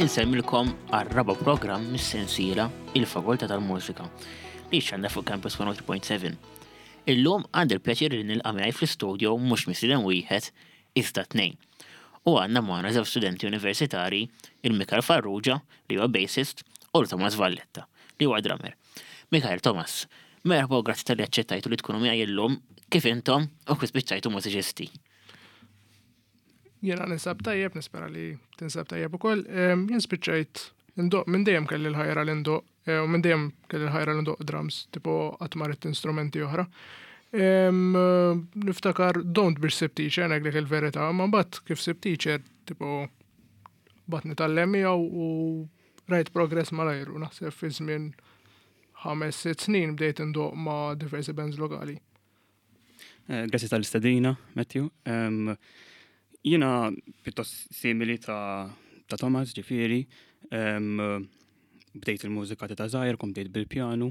Insellmilkom għar-raba' programm mis-sensiela Il-Fakultà tal-Mużika li xandar fuq Campus 103.7. Illum għandi l-pjaċir li nilqa' miegħi fl-istudio mhux mistieden wieħed iżda tnejn. U għandna magħna żewġ studenti universitarji, il-Mikael Farrugia li huwa bassist u l-Thomas Valletta li huwa drummer. Mikael, Thomas, merħba u grazzi talli aċċettajtu li tkunu miegħi illum kif intom u kif spiċċajtu mużiċisti. Jiena ninsab tajjeb, nispera li tinsab tajjeb ukoll. Jien spiċċajt indoq minn dejjem kelli l-ħajra li ndoq eh, u minn dejjem kelli l-ħajra li ndoq drums, tipo qatt ma ridt instrumenti oħra. Niftakar don't biex sib teacher ngħidlek il-verità, ma mbagħad kif sib teacher tipo bat nitgħallem miegħu u rajt progress malajr u naħseb fi żmien 5-6 snin bdejt indoq ma' diversi bands lokali. Eh, grazzi tal-istedina, Matthew. Jiena pjuttost simili ta', ta Thomas, ġifieri. Bdejt il-mużika ta' żgħir, kont bdejt bil-pjanu.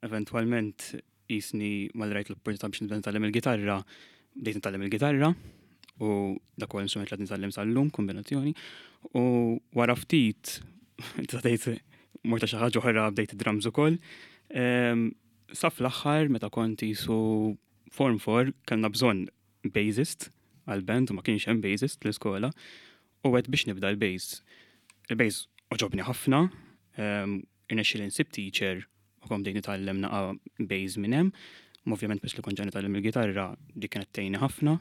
Eventwalment jisni mal-rajt l-opportunità biex nibda nitgħallem il-gitarra, bdejt nitgħallem il-gitarra u dak huwa l-instrument li qed nitgħallem sal-lum, kombinazzjoni. U wara ftit, tista' tgħid morta xi ħaġa oħra bdejt id-drums ukoll. Sa fl-aħħar meta kont jisu form 4 kellna bżonn bassist għal-band u ma kienx hemm bassist l-iskola u għedt biex nibda l-bass. Il-bass għoġobni ħafna, irnexxieli nsib teacher u kont bdejt nitgħallem naqa' bass minn hemm. Ovvjament biex li kont ġa nitgħallem il-gitarra dik kienet tgħinni ħafna.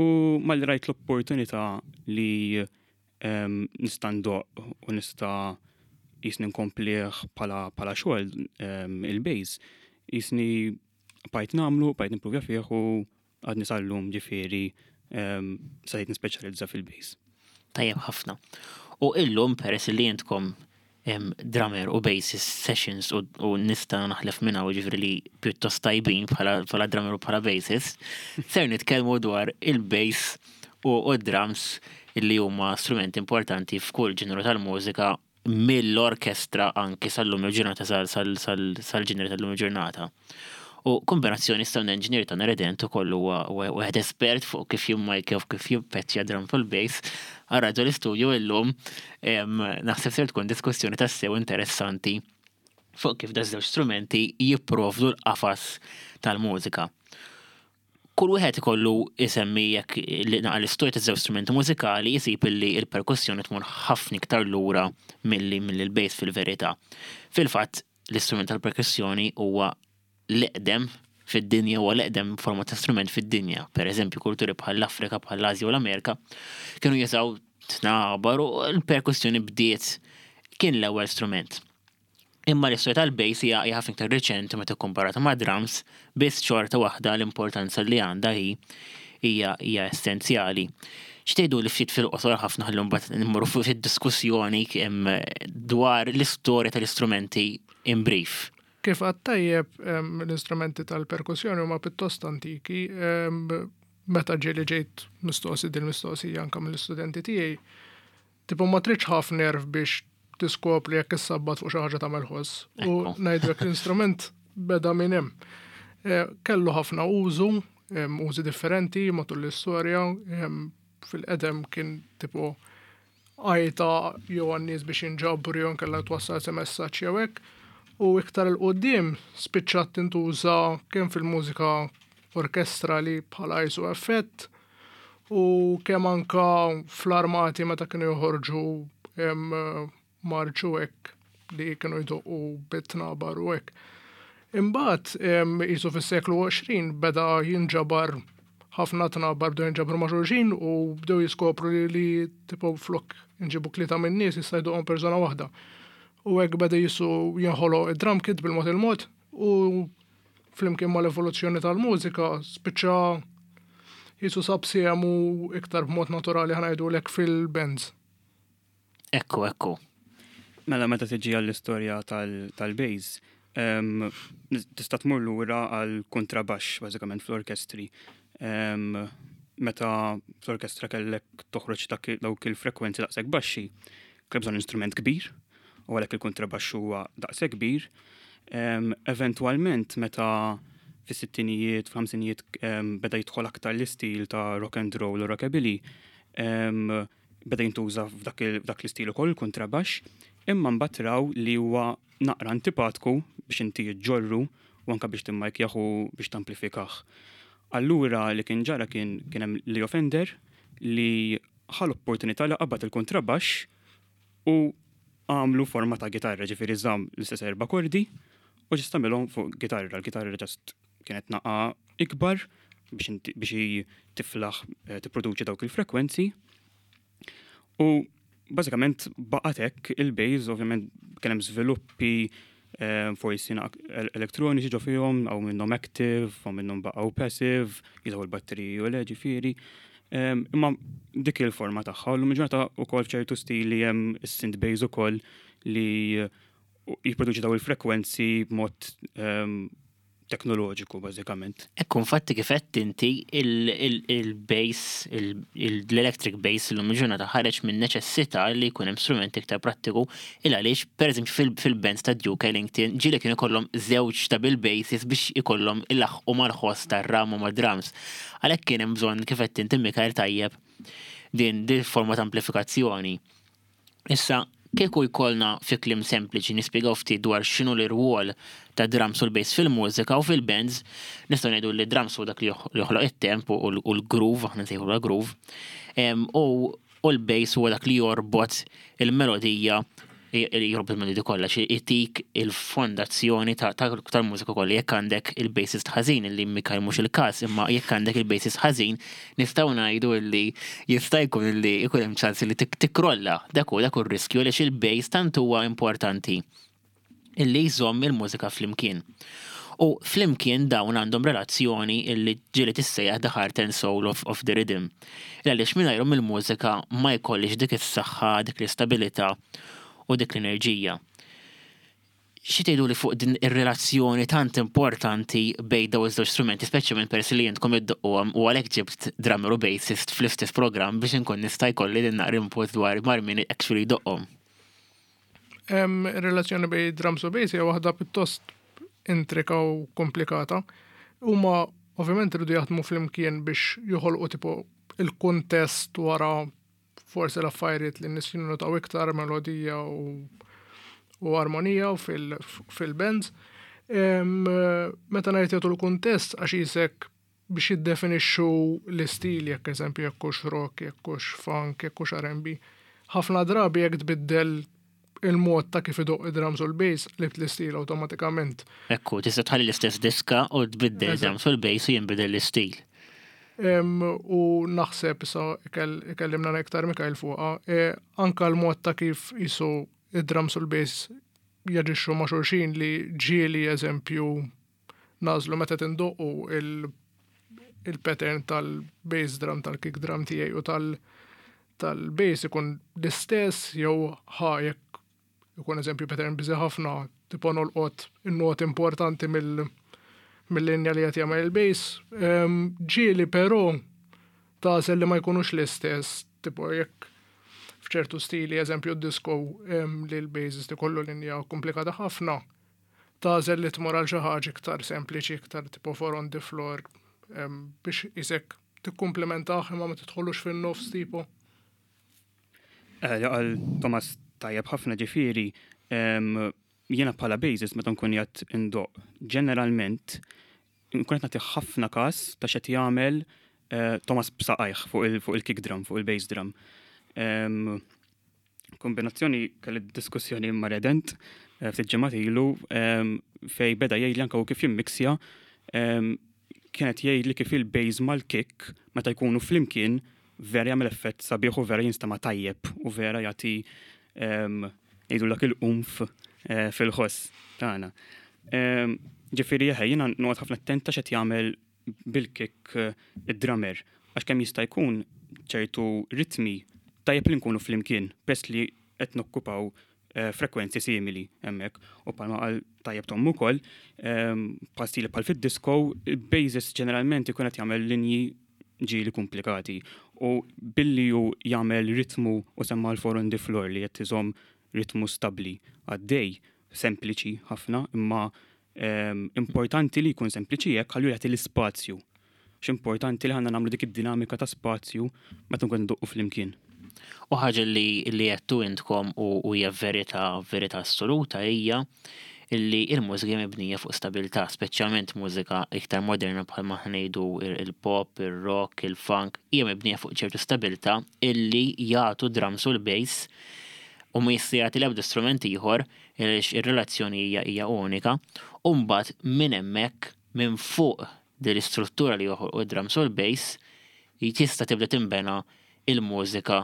U malli rajt l-opportunità li nista' ndoqq u nista' jisni nkomplih bħala xogħol il-bass, jisni bqajt nagħmlu, bqajt nimpruvja fih u għadni sal-lum ġifieri stajt nispeċjalizza fil-bass. Tajjeb ħafna. U illum peress li intkom drummer u bassist sessions u nista' naħlef minn hawn ġifieri li pjuttost tajbin bħala drummer u bħala bassist, ser nitkellmu dwar il-bass u d-drums li huma strumenti importanti f'kull ġeneru tal-mużika mill-orkestra anki sal-lum il-ġurnata sal-ġeneri tal-lum il-ġurnata. U kombinazzjoni sound engineer ta' Redent ukoll huwa wieħed espert fuq kif jimmajkja u kif jippeċċja drum full bass. Għarraġu l-istudio illum naħseb ser tkun diskussjoni tassew interessanti fuq kif da żewġ strumenti jipprovdu l-qafas tal-mużika. Kull wieħed ikollu isemmi jekk li naqa l-istorja ta' żewġ strumenti mużikali jsib illi l-perkussjoni tmur ħafna iktar lura milli milli l-bass fil-verità. Fil-fatt, l-istrument tal-perkussjoni huwa l-eqdem fid-dinja huwa l-eqdem forma ta' strument fid-dinja. Per eżempju, kulturi bħal l-Afrika, bħal l-Asja u l-Amerika kienu jużaw tnabar u l-perkussjoni bdiet kien l-ewwel strument. Imma l-istorja tal-bass hija ħafna iktar riċenti meta kkomparata ma' drums, biss xorta waħda l-importanza li għandha hi hija hija essenzjali. X'tgħidu li ftit fil-qosor ħafna ħalli mbagħad nmorru fuq id-diskussjoni dwar l-istorja tal-istrumenti in brief. Kif għad tajjeb l-istrumenti tal-perkussjoni huma pjuttost antiki, meta ġieli ġejt mistoqsi din mistoqsija anke mill-istudenti tiegħi, tipo ma tridx ħafna nerv biex tiskopri jekk issabbat fuq xi ħaġa tagħmel ħoss. U ngħidlek l-instrument beda minn hemm. Eh, kellu ħafna użu, użi differenti matul l-istorja, fil-qedem kien tipo għajta jew għan-nies biex jinġabru jew inkella twassal xi messaġġ jew hekk. U iktar 'il quddiem spiċċat tintuża kemm fil-mużika orkestrali bħala jisu effett u kemm anka fl-armati meta kienu joħorġu marċu hekk li kienu jdoqqu bit-tnabar u hekk. Imbagħad jisu fis-seklu 20 beda jinġabar ħafna tnabar bdew jinġabru ma' xulxin u bdew jiskopru li, li tipo flok nġibu tlieta minn nies jista' jdoqqhom persuna waħda. U hekk beda jisu jinħoloq id-drum kit bil-mod il-mod u flimkien mal-evoluzzjoni tal-mużika spiċċa jisu sab sehemu iktar b'mod naturali ħa ngħidulek fil-bands. Ekku, ekku. Mela meta tiġi għall-istorja tal-bass, tista' tmur lura għal kontrabaxx bażikament fl-orkestri. Meta fl-orkestra kellek toħroġ dawk il-frekwenzi daqshekk baxxi, kellek bżonn instrument kbir, u għalhekk il-kontrabaxx huwa daqshekk kbir. Eventwalment meta fis-sittinijiet, fil-ħamsinijiet beda jidħol aktar l-istil ta' rock and roll u rockabilly, Beda jintuża f'dak l-istil ukoll il-kontrabaxx, imma mbagħad raw li huwa naqra antipatku biex inti ġġorru u anke biex timmajkjah u biex tamplifikah. Allura li kien ġara kien kien hemm Leo Fender li ħa l-opportunità li qabad il-kontrabaxx u għamlu forma ta' gitarra, ġifieri żamm l-istess erba' kordi u ġust għamilhom fuq gitarra. L-gitarra ġast kienet naqa ikbar biex biex tiflaħ eh, tipproduċi dawk il-frekwenzi. U bażikament baqgħet hekk il-bass, ovvjament kien hemm żviluppi eh, forsi elektroniċi ġo fihom, għaw minnhom active, għaw minnhom baqgħu passive, jużaw il-batteriji u le ġifieri. Eh, imma dik il-forma tagħha, u l-ġurnata wkoll f'ċertu stili hemm is-synth bass ukoll li jipproduċi daw il-frekwenzi b'mod ehm, teknoloġiku bażikament. Ekku, infatti kif qed inti il-bass, l-electric bass illum il-ġurnata ħareġ minn neċessità li jkun hemm strument iktar prattiku il għaliex pereżempju fil-bands ta' Duke Ellington ġieli kienu ikollhom żewġ ta' bil-basses biex ikollhom ilaħħqu mal-ħoss tar-ram u mad-drums. Għalhekk kien hemm bżonn kif qed inti Mikael tajjeb din din forma ta' amplifikazzjoni. Issa, kieku jkollna fi kliem sempliċi nispjegaw ftit dwar x'inhu l-irwol ta' drums u l-bass fil-mużika u fil-bands, nistgħu ngħidu li drums huwa dak li joħloq it-temp u l-groove, aħna nsejħu groove, u l-bass huwa dak li jorbot il-melodija jorbot il-melodija kollha, xi itik il-fondazzjoni tal-mużika kollha. Jekk għandek il-bassist ħażin li Mikael mhux il-każ, imma jekk għandek il-bassist ħażin, nistgħu ngħidu li jista' jkun li jkun hemm ċans li tikkrolla. Dak hu dak hu r-riskju għaliex il-bass tant huwa importanti illi jżomm il-mużika flimkien. U flimkien dawn għandhom relazzjoni illi ġieli tissejjaħ the heart and soul of, of the rhythm. Għaliex mingħajrhom il-mużika ma jkollix dik is-saħħa, dik l-istabilità u dik l-enerġija. Xi tgħiduli fuq din ir-relazzjoni tant importanti bejn dawn iż-żewġ strumenti, speċjalment peress li intkom iddoqquhom u għalhekk ġibt drummer u bassist fl-istess programm biex inkun nista' jkolli din naqra input dwar mar min actually jdoqqhom. Ir-relazzjoni bejn drums u bass hija waħda pjuttost intrika u komplikata. Huma ovvjament iridu jaħdmu flimkien biex joħolqu tipo il-kuntest wara forsi l-affarijiet li n-nies jinnotaw iktar melodija u, u armonija u fil-bands. Meta ngħid jagħtu l-kuntest għax isek biex jiddefinixxu l-istil jekk eżempju jekk hux rock, jekk hux funk, jekk hux R&B. Ħafna drabi jekk tbiddel il-mod ta' kif idoqq id-drums u l-bass qlibt l-istil awtomatikament. Ekku, tista' tħalli l-istess diska u tbiddel id-drums u l-bass u jinbidel l-istil. U naħseb issa ikellimna iktar Mikael fuqha, e, anka l-mod ta' kif jisu id-drums u l-bass jaġixxu ma' xulxin li ġieli eżempju nagħżlu meta tindoqqu il-pattern tal-bass drum, tal-kick drum tiegħi u tal- tal-bass ikun l-istess jew ħa jekk ikun eżempju pattern biżi ħafna tipo nolqot in-not importanti mill mill-linja li qed jagħmel il-bass. Ehm, ġieli però tagħżel li ma jkunux l-istess, tipo jekk f'ċertu stili, eżempju d-disco ehm, li l-bassist ikollu linja komplikata ħafna, tagħżel li tmur għal xi ħaġa iktar sempliċi, iktar tipo four on the floor biex isek tikkumplementah imma ma tidħolux fin-nofs tipo. Eh, għal Thomas tajjeb ħafna ġifieri, jiena bħala basis meta nkun jgħat indoq, ġeneralment nkun qed nagħti ħafna każ ta' x'qed jagħmel eh, Thomas b'saqajh fuq il-kick drum, fuq il-bass drum. Kombinazzjoni kelli diskussjoni ma' Redent eh, ftit ġimgħat ilu ehm, fej beda jgħidli anke kif jimmixja ehm, kienet jgħidli kif il-bass mal-kick meta jkunu flimkien vera jagħmel effett sabiħ u vera jinstema' tajjeb u vera jagħti ehm, ngħidu dak il-qumf eh, fil-ħoss tagħna. Ġifieri eħe jiena noqgħod ħafna attenta x'qed jagħmel bil-kick eh, id-drummer għax kemm jista' jkun ċertu ritmi tajjeb li nkunu flimkien peress li qed nokkupaw eh, frekwenzi simili hemmhekk u bħalma qal tajjeb Tom ukoll ehm, bħal stili bħal fid-disco, il-bassist ġeneralment ikun qed jagħmel linji ġieli komplikati u billi hu jagħmel ritmu u semma l-four on the floor li qed iżomm ritmu stabbli għaddej sempliċi ħafna imma Importanti li jkun sempliċi hekk ħallu jagħti l-ispazju. X'importanti li ħanna nagħmlu dik id-dinamika ta' spazju meta nkun ndoqqu flimkien. U ħaġa li li għedtu intkom u hija verità verità assoluta hija illi il-mużika hija mibnija fuq stabilità, speċjalment mużika iktar moderna bħalma ngħidu il-pop, ir-rock, il-funk, hija mibnija fuq ċertu stabilità illi jagħtu drums u l-bass u ma jista' jagħti l-ebda strument ieħor għaliex ir-relazzjoni hija hija unika. U mbagħad minn hemmhekk minn fuq din l-istruttura li joħolqu d-drums u l-bass tista' tibda tinbena il-mużika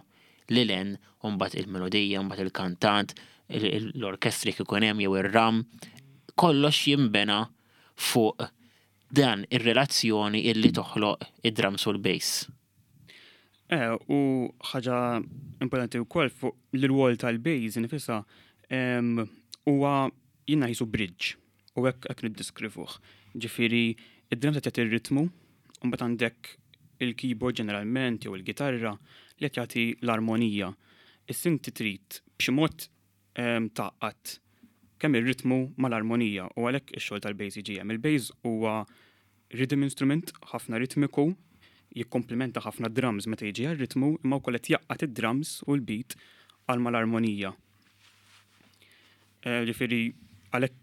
lil hemm u mbagħad il-melodija, mbagħad il-kantant, l-orkestri kif ikun hemm jew ir-ram, kollox jinbena fuq dan ir-relazzjoni illi toħloq id-drums u l-bass. U ħaġa importanti wkoll fuq l-rwol tal-bass nifisha huwa jiena qisu bridge u hekk hekk niddiskrivuh. Ġifieri id-drums qed jagħti r-ritmu, u mbagħad għandek il-keyboard ġeneralment jew il-gitarra li qed jagħti l-armonija. Issa inti trid b'xi mod tgħaqqad kemm ir-ritmu mal-armonija u għalhekk ix-xogħol tal-bass jiġi hemm. Il-bass huwa rhythm instrument ħafna ritmiku, jikkomplimenta ħafna drums meta jiġi għar-ritmu, imma wkoll qed jgħaqqad id-drums u l-beat għal mal-armonija. Ġifieri għalhekk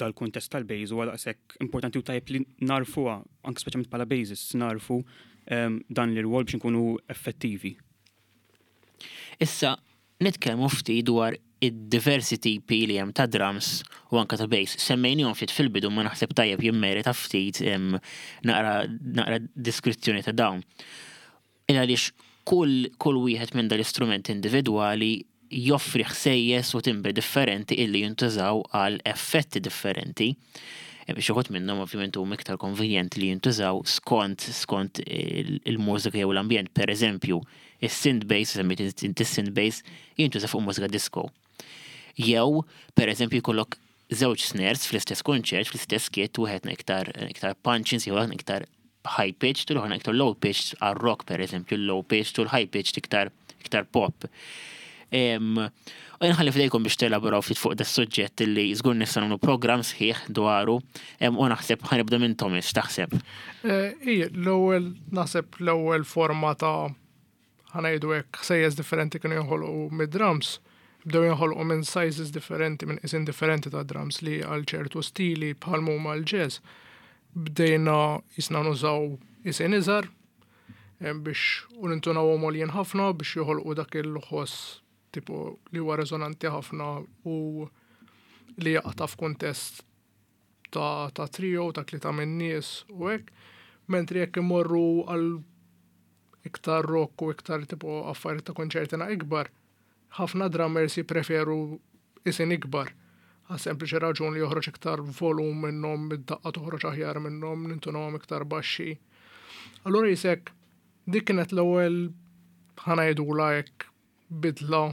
dal-kuntest tal-bass huwa daqshekk importanti u tajjeb li narfuha, anke speċjalment bħala bassists, narfu dan l-irwol biex nkunu effettivi. Issa nitkellmu ftit dwar id-diversi tipi li hemm ta' drums u anka ta' bass. Semmejnihom ftit fil-bidu ma naħseb tajjeb jimmerita ftit naqra naqra diskrizzjoni ta' dawn. Il għaliex kull wieħed minn dal-istrumenti individwali joffri ħsejjes u timbri differenti illi jintużaw għal effetti differenti. Xi wħud minnhom ovvjament huma iktar konvenjenti li jintużaw skont il-mużika jew l-ambjent. Per eżempju, is-synth bass, semmejt inti synth bass, jintuża fuq mużika disco. Jew, per eżempju, jkollok żewġ snares fl-istess kunċert, fl-istess kit, wieħed iktar iktar punching, jew iktar high pitched, u l-oħra iktar low pitched għal rock per eżempju, low pitched u l-high pitched iktar iktar pop. U nħalli f'idejkom biex telaboraw ftit fuq da suġġett li żgur nista' nagħmlu programm sħiħ dwaru u naħseb ħa nibda minn Thomas, taħseb. Ija, l-ewwel naħseb l-ewwel forma ta' ħa ngħidu hekk ħsejjes differenti kienu jinħolqu mid-drums, bdew jinħolqu minn sizes differenti, minn qisien differenti ta' drums li għal ċertu stili bħal huma l-jazz. Bdejna jisna nużaw qisien iżgħar biex u nintunawhom għoljin ħafna biex joħolqu dak il-ħoss tipo li huwa resonanti ħafna u li jaqta' f'kuntest ta' trio, ta' tlieta minn nies u hekk. Mentri jekk imorru għal iktar rock u iktar tipo affarijiet ta' konċertina ikbar, ħafna drummers jippreferu qisien ikbar. Għas sempliċi raġun li joħroġ iktar volum minnhom, id-daqqa toħroġ aħjar minnhom, nintunawhom iktar baxxi. Allura jisek dik kienet l-ewwel ħa ngħidulha hekk bidla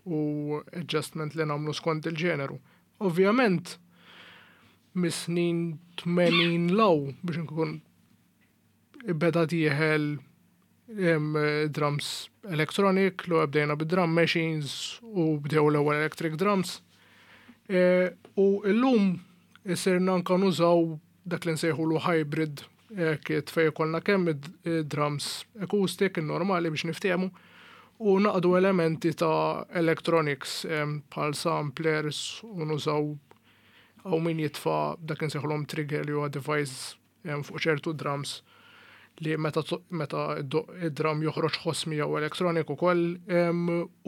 u adjustment li nagħmlu skont il-ġeneru. Ovvjament, mis-snin 80 'l hawn biex nkun beda dieħel drums electronic, l bdejna bid-drum machines u bdew l-ewwel electric drums. U illum isirna anka nużaw dak li nsejħulu hybrid kit fej ikollna kemm drums acoustic, normali biex niftehmu, u naqdu elementi ta' electronics bħal samplers u nużaw għaw min jitfa' dak insejħulhom trigger li huwa device fuq ċertu drums li meta id-drum joħroġ ħoss miegħu electronic ukoll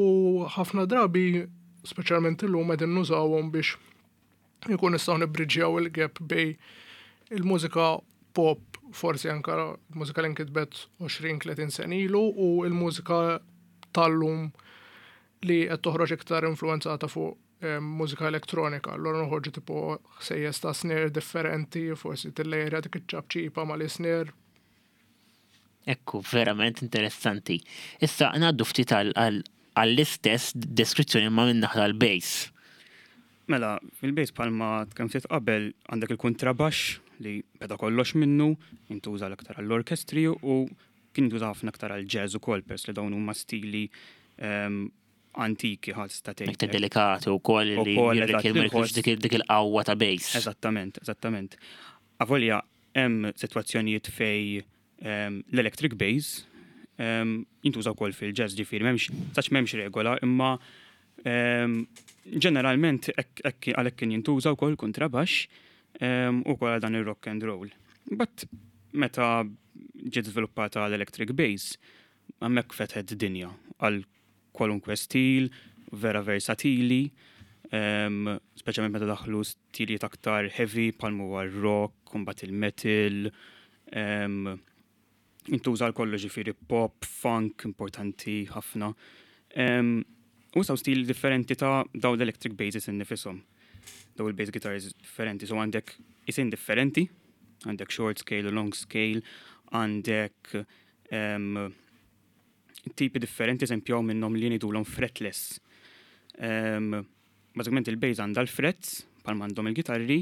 u ħafna drabi speċjalment illum qegħdin nużawhom biex ikun nistgħu nibbriġjaw il-gap bejn il-mużika pop forsi anka mużika li nkitbet 20-30 sena ilu u il-mużika tal-lum li qed toħroġ iktar influenzata fuq mużika elettronika. Allura noħorġu tipo ħsejjes ta' snare differenti, forsi tillejra dik iċ-ċapċipa mal-snare. Ekku, verament interessanti. Issa ngħaddu ftit għall-istess deskrizzjoni ma minn naħa l-bass. Mela, fil-bass bħalma kemm ftit qabel għandek il-kontrabax li beda kollox minnu, jintuża l-aktar għall-orkestri u kien jintuża ħafna aktar għall-jazz ukoll peress li dawn huma stili antiki ħadd sta tgħid. Iktar delikati wkoll li Ukoll, eżatt, jirrikjedu il-ħoss. dik il-qawwa ta' bass. Eżattament, eżattament. Avolja hemm sitwazzjonijiet fej l-electric bass Jintuża wkoll fil-jazz ġifieri m'hemmx sax m'hemmx regola imma ġeneralment għalhekk kien jintuża wkoll kontrabaxx u wkoll għal dan ir-rock and roll. But meta ġiet żviluppata l-electric bass, hemmhekk fetħet dinja għal kwalunkwe stil, vera versatili, speċjalment meta daħlu stilijiet aktar heavy bħal huwa r-rock, imbagħad il-metal, intuża għal kollox ġifieri pop, funk, importanti ħafna. U saw stil differenti ta' daw l-electric basses innifisom. Daw il-bass guitars differenti, so għandek isin differenti, għandek short scale, long scale, għandek tipi differenti, eżempju minnhom li ngħidulhom fretless. Bażikament il-bass għandha l-frets, bħal m'għandhom il-gitarri,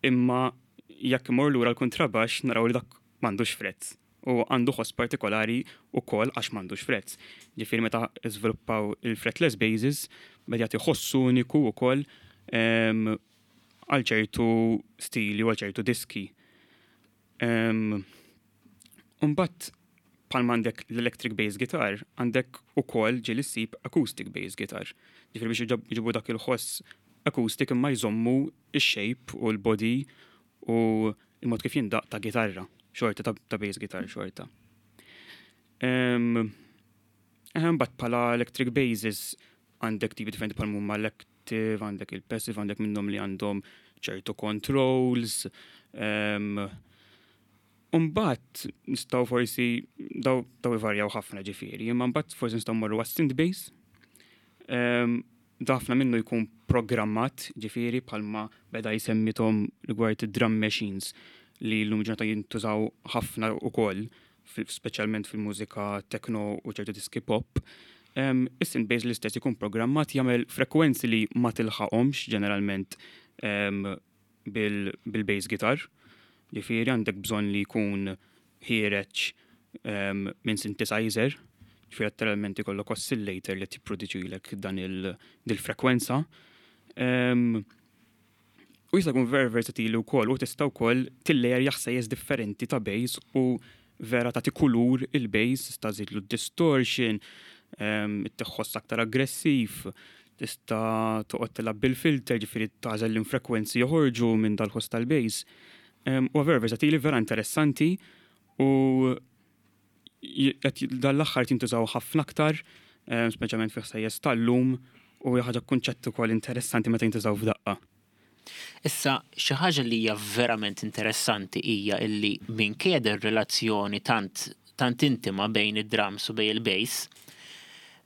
imma jekk imur lura l-kontrabax naraw li dak m'għandux frets. U għandu ħoss partikolari u kol għax m'għandux frets. Ġifieri meta żviluppaw il-fretless basses, beda jagħti ħoss uniku wkoll għal ċertu stili u għal ċertu diski. Imbagħad bħal għandek l-electric bass guitar, għandek ukoll ġieli ssib acoustic bass guitar. Ġifieri biex iġibu dak il-ħoss acoustic imma jżommu ix-shape u l-body u il-mod kif jindaq ta' gitarra, xorta ta' bass guitar xorta. Imbagħad bħala electric basses għandek tipi differenti bħal huma l-active, għandek il-passive, għandek minnhom li għandhom ċertu controls. Imbagħad nistgħu forsi daw ivarjaw ħafna ġifieri, imma mbagħad forsi nistgħu mmorru għas-synth bass. Ħafna minnu jkun programmat ġifieri bħalma beda jsemmi Tom rigward drum machines li l-lum ġurnata jintużaw ħafna ukoll, speċjalment fil-mużika techno u ċertu diski pop. Is-synth bass l-istess ikun programmat jagħmel frekwenzi li ma tilħaqhomx ġeneralment bil-bass guitar. Ġifieri għandek bżonn li jkun ħiereġ minn synthesizer, ġifieri letteralment ikollok oscillator li tipproduċilek dan il-frekwenza. U jista' jkun very versatili wkoll u tista' wkoll tillejerja ħsejjes differenti ta' bass u vera tagħti kulur il-bass, tista' żidlu distortion, tħoss aktar aggressiv, tista' toqgħod tilgħab bil-filter, ġifieri tagħżel l-infrekwenzi joħorġu minn dal-ħoss tal-bass. U vera versatili, vera interessanti u dal-aħħar jintużaw ħafna aktar, speċjalment fi ħsejjes tal-lum u hija ħaġa kunċett ukoll interessanti meta jintużaw f'daqqa. Issa, xi ħaġa li hija verament interessanti hija illi minkejja ir-relazzjoni tant tant intima bejn id-drums u bejn il-bass,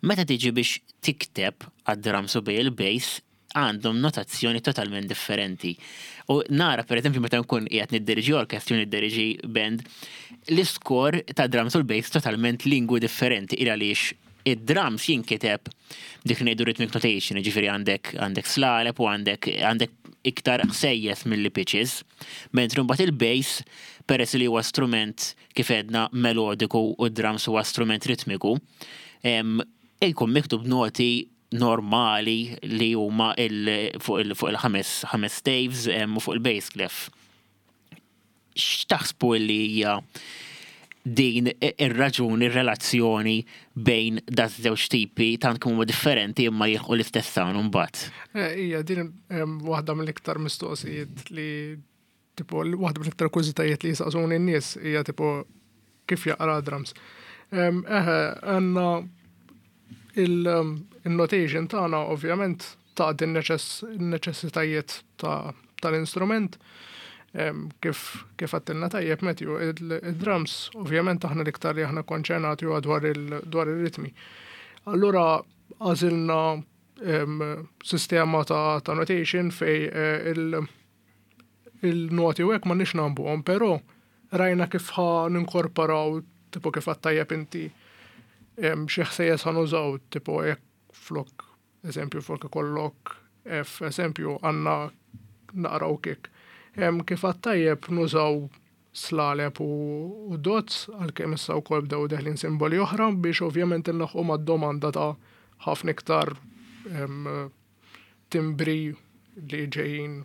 meta tiġi biex tikteb għad-drums u bejn il-bass, għandhom notazzjoni totalment differenti. U nara, per eżempju, meta nkun qiegħed niddiriġi orkestru, niddiriġi band, l-iskor ta' drums u l-bass totalment lingwi differenti, il għaliex id-drums jinkiteb dik li ngħidu rhythmic notation, ġifieri għandek slaleb u għandek iktar ħsejjes milli pitches, mentri mbagħad il-bass, peress li huwa strument kif edna melodiku u d-drums huwa strument ritmiku, ikun miktub noti normali li huma fuq il-ħames ħames staves u fuq il-bass clef. X'taħsbu li hija din ir-raġuni, ir-relazzjoni bejn da żewġ tipi tant kemm huma differenti imma jilħqu l-istess sound imbagħad? Ija, din waħda mill-iktar mistoqsijiet li tipo waħda mill-iktar kurżitajiet li jisaqsuni n-nies hija tipo kif jaqra drums. Eħe, għandna il-notation tagħna ovvjament ta' din neċessitajiet tal-instrument. Kif għedtilna tajjeb Matthew, il-drums ovvjament aħna l-iktar li aħna konċernati huwa dwar il-ritmi. Allura għażilna sistema ta' notation fej il-noti u hekk ma nix nambuhom, però rajna kif ħa ninkorporaw tipo kif għedt tajjeb inti xi ħsejjes ħa nużaw, tipo jekk flok, eżempju, flok ikollok F, eżempju, għandna naqraw kick. Kif għedt tajjeb nużaw slaleb u dots, għalkemm issa wkoll bdew deħlin simboli oħra biex ovvjament inlaħqu mad-domanda ta' ħafna iktar timbri li ġejjin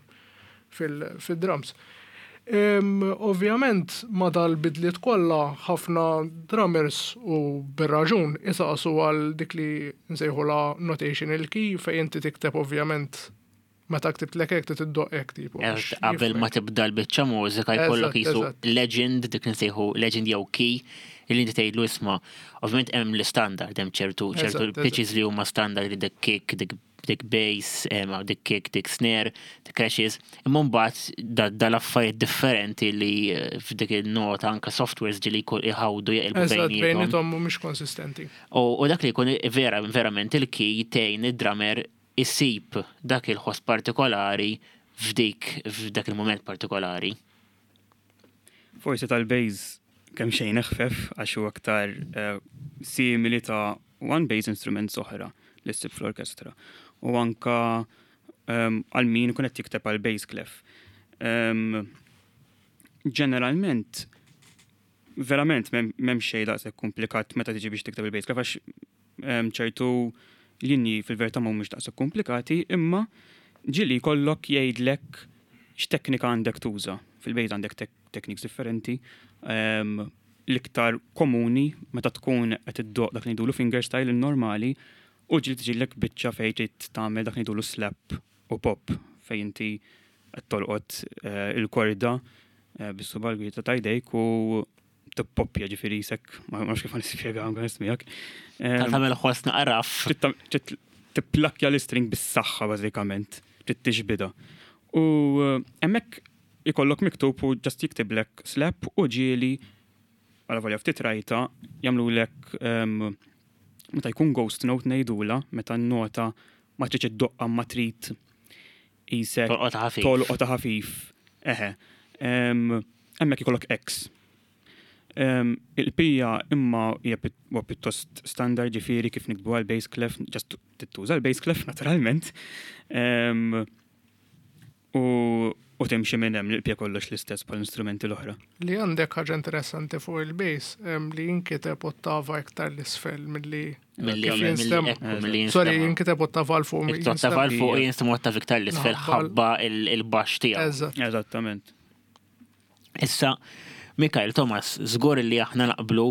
fil-drums. Ovvjament ma dal-bidliet kollha ħafna drummers u bir-raġun isaqsu għal dik li nsejħulha notational key fejn inti tikteb ovvjament meta ktibtlek hekk trid iddoqq hekk tipo. Qabel ma tibda l-biċċa mużika jkollok qisu legend, dik li nsejħu legend jew key, li inti tgħidlu isma'. Ovvjament hemm l-istandard, hemm ċertu ċertu pitches li huma standard li dik kick, dik dik bass, dik kick, dik snare, dik crashes, imma mbagħad dal-affarijiet differenti li eh, f'dik il-nota anka softwares ġili jkun iħawdu jaqilbu bejniethom. Bejniethom mhumiex konsistenti. U dak li jkun vera verament il-key tgħin id-drummer isib dak il-ħoss partikolari f'dik f'dak il-moment partikolari. Forsi tal-bass kemm xejn eħfef għax huwa aktar eh, simili ta' one bass instruments oħra li ssib fl-orkestra. U anka ehm, għal min ikun qed jikteb għal bass clef. Ehm, ġeneralment, verament m'hemm xejn daqshekk komplikat meta tiġi biex tikteb il-bass clef għax ehm, ċertu linji fil-verità mhumiex daqshekk komplikati, imma ġieli jkollok jgħidlek x'teknika għandek tuża. Fil-bass għandek techniques differenti. Ehm, l-iktar komuni meta tkun qed iddoq dak li ngħidulu finger style il-normali u ġieli tiġilek biċċa fejn trid tagħmel dak li ngħidulu slap u pop fejn inti qed tolqot eh, il-korda eh, bis-suba l-gwita ta' jdejk u tippoppja ġifieri jisek, ma nafx kif nispjega anke miegħek. Ehm, tagħmel ħoss naqraf. Tipplakja l-istring bis-saħħa bażikament, trid tixbida. U eh, hemmhekk ikollok miktub u just jiktiblek slap u ġieli għala volja ftit rajta jagħmlulek ehm, meta jkun ghost note ngħidula meta n-nota ma tridx iddoqqa ma trid isek tolqota ħafif. Eħe. Ehm, hemmhekk ikollok X. Ehm, il-pija imma hija pjuttost standard ġifieri kif nikbu għal bass clef, just tittuża l-bass clef naturalment. U, u timxi minn hemm l-pja kollox l-istess bħal instrumenti l-oħra. Li għandek ħaġa interessanti fuq il-bass li jinkiteb ottava iktar l-isfel milli milli Sorry, jinkiteb ottava l fuq. Ottava l fuq jinstema ottava iktar l-isfel ħabba il-baxx tiegħu. Eżattament. Issa, Mikael Thomas, żgur li aħna naqblu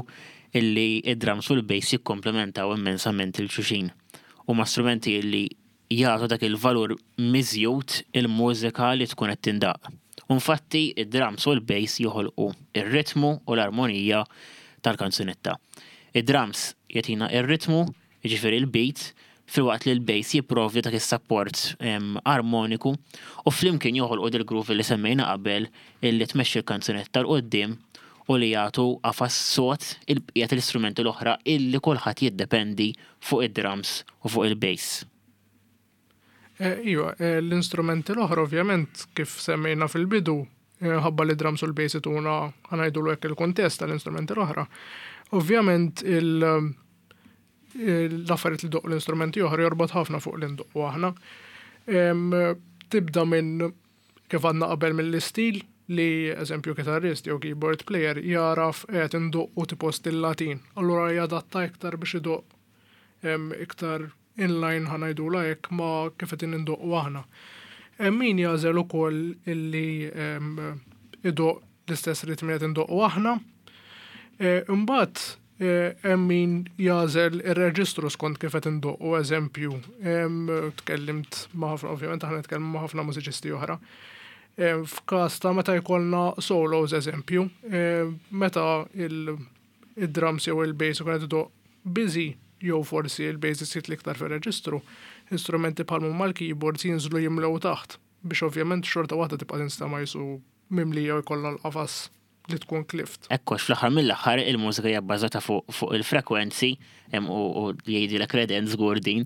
illi id-drums u l-bass jikkomplementaw immensament il-xuxin. Huma strumenti illi jagħtu dak il-valur miżjud il-mużika li tkun qed tindaqq. U infatti id-drums u l-bass joħolqu r-ritmu u l-armonija tal-kanzunetta. Id-drums jagħtina r-ritmu, jiġifieri l-beat, filwaqt li l-bass jipprovdi dak is-sapport armoniku u flimkien joħolqu dil-groove li semmejna qabel illi tmexxi l-kanzunetta 'l quddiem u li jagħtu qafas sod il-bqija tal-istrumenti l-oħra illi kulħadd jiddependi fuq id-drums u fuq il-bass. Eh, iva, eh, l-instrumenti l-oħra ovvjament kif semmejna fil-bidu, eh, ħabba li drums u l-bass ituna ħanajdulu hekk il-kuntest tal-instrumenti l-oħra. Ovvjament l-affarijiet li doq l-instrumenti oħra jorbot ħafna fuq l-indoqqu aħna. Tibda minn kif għadna qabel mill-istil li eżempju kitarrist jew keyboard player jaraf qed indoqqu tipo stil Latin. Allura jadatta iktar biex idoqq iktar inline ħa ngħidulha hekk ma' kif qegħdin indoqqu aħna. Hemm min jagħżel ukoll illi idoqq l-istess ritmi qed indoqqu aħna. E, imbagħad e, hemm min jagħżel ir-reġistru skont kif qed indoqqu eżempju. Tkellimt ma' ħafna ovvjament aħna nitkellmu ma' ħafna mużiċisti oħra. F'każ ta' meta jkollna solos eżempju, meta il-drums jew il-bass ikun qed idoqq busy jew forsi il-bass isir l-iktar fir-reġistru, instrumenti bħal huma l-keyboards jinżlu jimlew taħt biex ovvjament xorta waħda tibqa' tinstema' jisu mimlija u jkollha l-qafas li tkun clift. Ekku, għax fl-aħħar mill-aħħar il-mużika hija bbażata fuq il-frekwenzi u jgħidilek Redent żgur din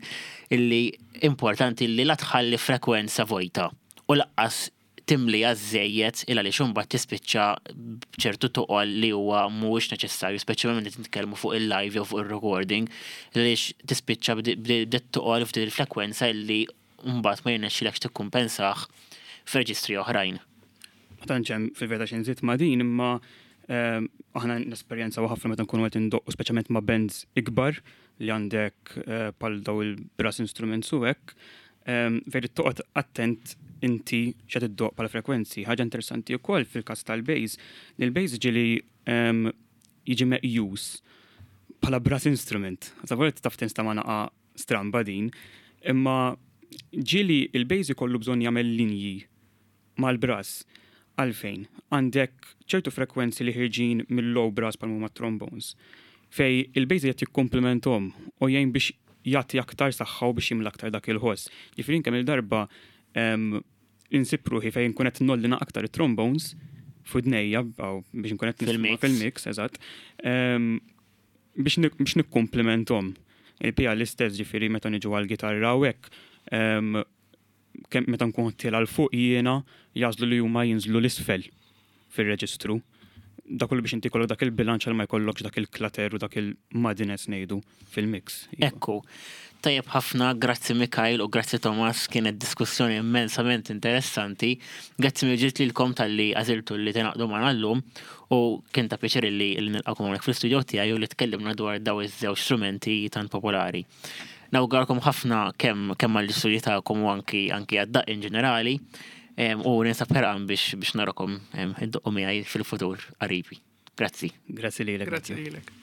illi importanti li la tħalli frekwenza vojta u laqqas timliha żżejjed il għaliex imbagħad tispiċċa b'ċertu toqol li huwa mhuwiex neċessarju, speċjalment meta nitkellmu fuq il-live jew fuq ir-recording, għaliex tispiċċa b'det toqol f'din il-frekwenza illi mbagħad ma jirnexxilekx tikkumpensah f'reġistri oħrajn. Ma tantx hemm fil-verità xi nżid ma' din imma ehm, aħna nesperjenzaw ħafna meta nkunu qed indoqqu speċjalment ma' bands ikbar li għandek eh, bħal daw il-brass instruments u hekk, ehm, fejn toqgħod attent inti x'qed iddoqq bħala frekwenzi. Ħaġa interessanti wkoll fil-każ tal-bass, li l-bass ġieli jiġi meqjus bħala brass instrument. Savolja taf tinstama' naqa' stramba din, imma ġieli il-bass ikollu bżonn jagħmel linji mal-brass. Għalfejn? Għandek ċertu frekwenzi li ħirġin mill-low brass bħal huma trombones, fejn il-bass qed jikkomplementhom u jgħin biex jagħti aktar saħħa u biex jimla aktar dak il-ħoss. Ġifieri kemm il-darba insib ruħi fejn nkun qed ngħolli aktar it-trombones f'widnejja biex nkun qed nisma' fil-mix, eżatt. Biex nikkomplementhom. Il-pija l-istess, ġifieri meta niġu għal-gitarra u hekk, meta nkun tiela' 'l fuq jiena, jagħżlu li huma jinżlu 'l isfel fir-reġistru. Dak kollu biex inti jkollok dak il-bilanċ għal ma jkollokx dak il-clutter u dak il-muddiness ngħidu fil-mix. Iva. Ekku. Tajjeb ħafna, grazzi Mikhail u grazzi Thomas, kienet diskussjoni immensament interessanti. Grazzi mill-ġdid lilkom talli għażiltu li tingħaqdu magħna llum u kien ta' pjaċir li nilqakom hawnhekk fl-istudio tiegħi u li tkellimna dwar daw iż-żewġ strumenti tant popolari. Nawguralkom ħafna kemm għall-istudji tagħkom u anki għad-daqq in ġenerali u ninsab ħerqan biex narakom iddoqqu miegħi fil-futur qaribi. Grazzi. Grazzi lilek. Grazzi lilek.